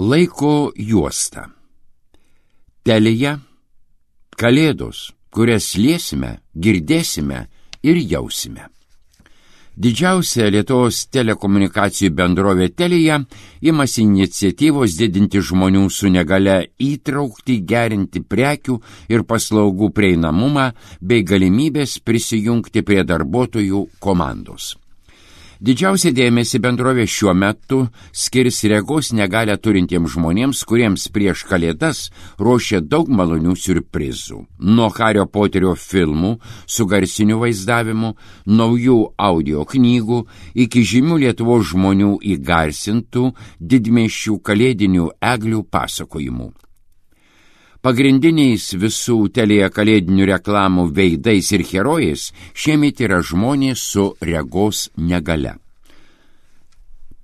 Laiko juosta. Telija – kalėdos, kurias liesime, girdėsime ir jausime. Didžiausia Lietuvos telekomunikacijų bendrovė Telija imasi iniciatyvos didinti žmonių su negalia įtraukti, gerinti prekių ir paslaugų prieinamumą bei galimybės prisijungti prie darbuotojų komandos. Didžiausia dėmesį bendrovė šiuo metu skirs regos negalią turintiems žmonėms, kuriems prieš kalėdas ruošia daug malonių siurprizų. Nuo Hario Poterio filmų su garsiniu vaizdavimu, naujų audio knygų iki žymių Lietuvos žmonių įgarsintų didmiesčių kalėdinių eglių pasakojimų. Pagrindiniais visų Telija kalėdinių reklamų veidais ir herojais šiemet yra žmonės su regos negalia.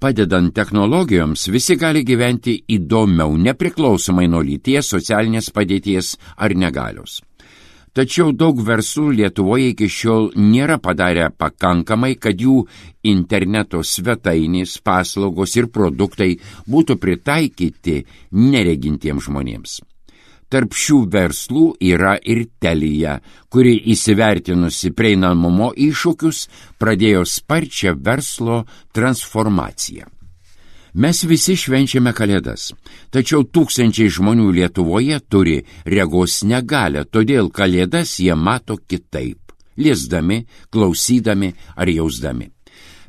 Padedant technologijoms, visi gali gyventi įdomiau, nepriklausomai nuo lyties, socialinės padėties ar negalios. Tačiau daug verslų Lietuvoje iki šiol nėra padarę pakankamai, kad jų interneto svetainės, paslaugos ir produktai būtų pritaikyti neregintiems žmonėms. Tarp šių verslų yra ir Telija, kuri įsivertinusi prieinamumo iššūkius pradėjo sparčią verslo transformaciją. Mes visi švenčiame kalėdas, tačiau tūkstančiai žmonių Lietuvoje turi regos negalią, todėl kalėdas jie mato kitaip, liesdami, klausydami ar jausdami.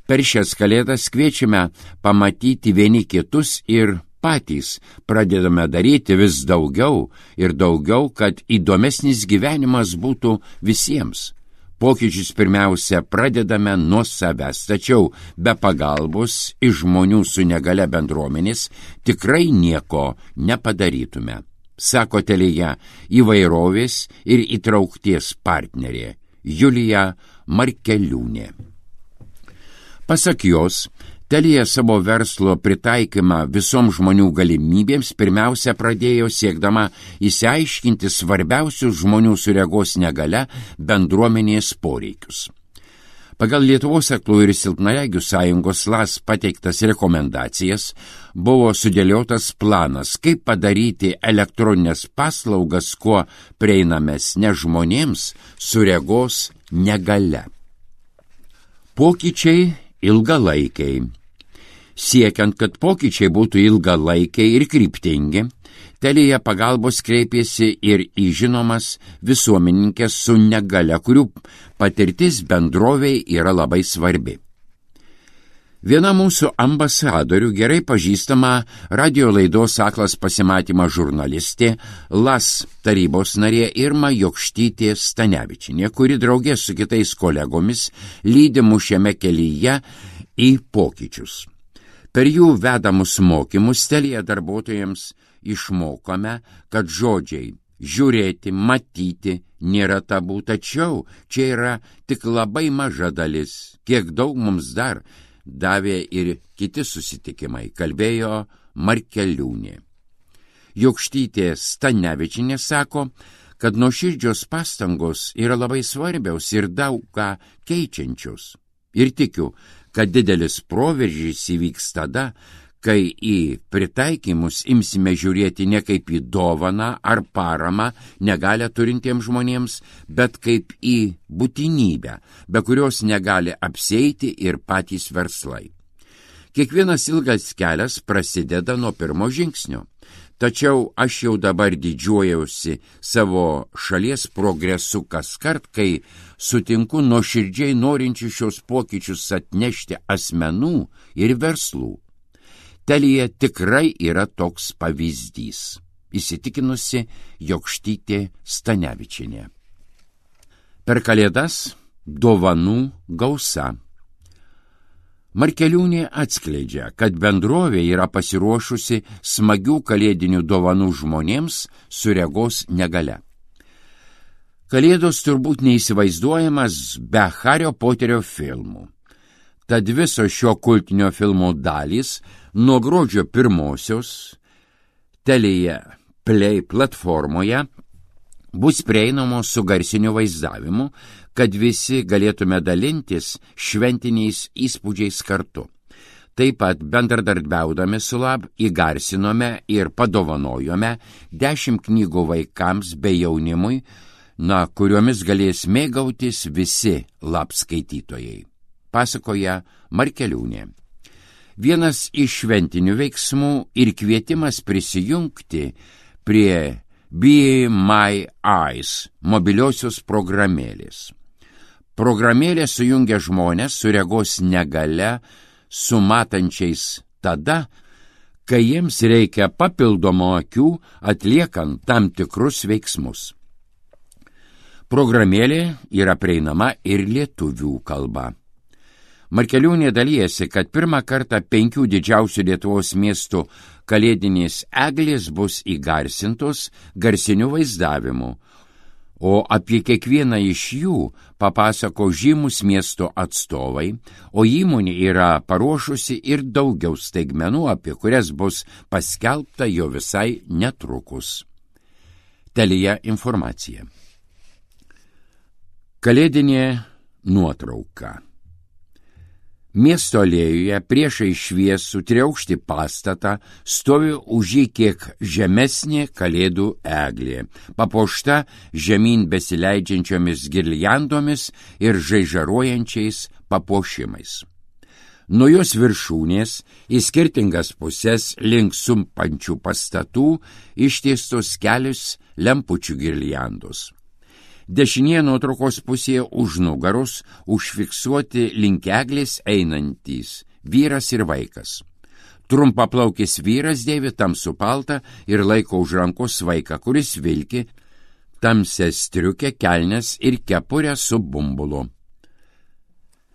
Per šias kalėdas kviečiame pamatyti vieni kitus ir patys pradedame daryti vis daugiau ir daugiau, kad įdomesnis gyvenimas būtų visiems. Pokyčius pirmiausia pradedame nuo savęs, tačiau be pagalbos iš žmonių su negalia bendruomenės tikrai nieko nepadarytume, sako Telija įvairovės ir įtraukties partnerė Julija Markeliūnė. Pasak jos, Telija savo verslo pritaikymą visoms žmonių galimybėms pirmiausia pradėjo siekdama išsiaiškinti svarbiausius žmonių su regos negalia bendruomenės poreikius. Pagal Lietuvos aklųjų ir silpnaregių sąjungos LAS pateiktas rekomendacijas buvo sudėliotas planas, kaip padaryti elektroninės paslaugas kuo prieinamesnės žmonėms su regos negalia. Pokyčiai ilgalaikiai. Siekiant, kad pokyčiai būtų ilgalaikiai ir kryptingi, Telija pagalbos kreipėsi ir į žinomas visuomeninkes su negalia, kurių patirtis bendrovei yra labai svarbi. Viena mūsų ambasadorių, gerai pažįstama radio laidos Aklas pasimatymas žurnalistė, LAS tarybos narė Irma Jokštytė Stanevičinė, kuri draugė su kitais kolegomis lydi mus šiame kelyje į pokyčius. Per jų vedamus mokymus Telija darbuotojams išmokome, kad žodžiai žiūrėti, matyti nėra tabu, tačiau čia yra tik labai maža dalis, kiek daug mums dar davė ir kiti susitikimai, kalbėjo Markeliūnė. Jokštytė Stanevičinė sako, kad nuoširdžios pastangos yra labai svarbiaus ir daug ką keičiančios. Ir tikiu, kad didelis proveržys įvyks tada, kai į pritaikymus imsime žiūrėti ne kaip į dovaną ar paramą negalią turintiems žmonėms, bet kaip į būtinybę, be kurios negali apsieiti ir patys verslai. Kiekvienas ilgas kelias prasideda nuo pirmo žingsnio. Tačiau aš jau dabar didžiuojausi savo šalies progresu kaskart, kai sutinku nuoširdžiai norinčių šios pokyčius atnešti asmenų ir verslų. Telija tikrai yra toks pavyzdys, įsitikinusi Jokštytė Stanevičinė. Per kalėdas dovanų gausa. Markeliūnė atskleidžia, kad bendrovė yra pasiruošusi smagių kalėdinių dovanų žmonėms su regos negalia. Kalėdos turbūt neįsivaizduojamas be Hario Poterio filmų. Tad visos šio kultinio filmo dalys nuo gruodžio 1 Telija Play platformoje bus prieinamos su garsiniu vaizdavimu, kad visi galėtume dalintis šventiniais įspūdžiais kartu. Taip pat bendradarbiaudami su Lab įgarsinome ir padovanojome 10 knygų vaikams bei jaunimui, kuriomis galės mėgautis visi Lab skaitytojai. Pasakoja Markeliūnė. Vienas iš šventinių veiksmų ir kvietimas prisijungti prie Be My Eyes mobiliosios programėlės. Programėlė sujungia žmonės su regos negalia, su matančiais tada, kai jiems reikia papildomo akių atliekant tam tikrus veiksmus. Programėlė yra prieinama ir lietuvių kalba. Markeliūnė dalijasi, kad pirmą kartą 5 didžiausių Lietuvos miestų kalėdinės eglės bus įgarsintos garsiniu vaizdavimu, o apie kiekvieną iš jų papasako žymus miesto atstovai, o įmonė yra paruošusi ir daugiau staigmenų, apie kurias bus paskelbta jau visai netrukus. Telija informacija. Kalėdinė nuotrauka. Miesto alėjoje priešai šviesų triaukštį pastatą stovi už jį kiek žemesnė kalėdų eglė, papuošta žemyn besileidžiančiomis girliandomis ir žaižaruojančiais papuošimais. Nuo jos viršūnės į skirtingas pusės link sumpančių pastatų ištiestos kelios lempučių girliandos. Dešinėje nuotraukos pusėje už nugaros užfiksuoti link eglės einantys vyras ir vaikas. Trumpaplaukis vyras dėvi tamsų paltą ir laiko už rankos vaiką, kuris vilki tamsią striukę, kelnes ir kepurę su bumbulu.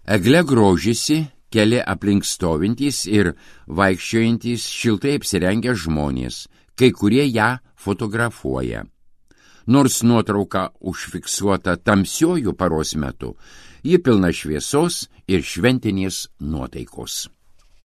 Egle grožisi keli aplink stovintys ir vaikščiojantys šiltai apsirengę žmonės, kai kurie ją fotografuoja. Nors nuotrauka užfiksuota tamsiuoju paros metu, ji pilna šviesos ir šventinės nuotaikos.